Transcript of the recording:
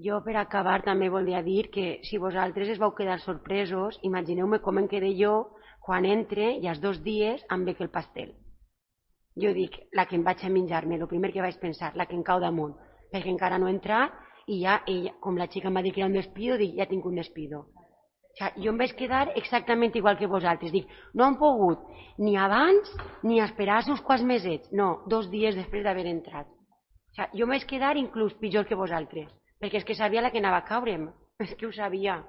Jo, per acabar, també volia dir que si vosaltres es vau quedar sorpresos, imagineu-me com em quedé jo quan entre i als 2 dies em bec el pastel. Jo dic, la que em vaig a menjar-me, el primer que vaig pensar, la que em cau damunt, perquè encara no he entrat i ja, ella, com la xica em va dir que era un despido, dic, ja tinc un despido. O sigui, jo em vaig quedar exactament igual que vosaltres. Dic, no han pogut ni abans ni esperar uns quants mesets. No, 2 dies després d'haver entrat. O sigui, jo em vaig quedar inclús pitjor que vosaltres, perquè és que sabia la que anava a caure'm. És que ho sabia.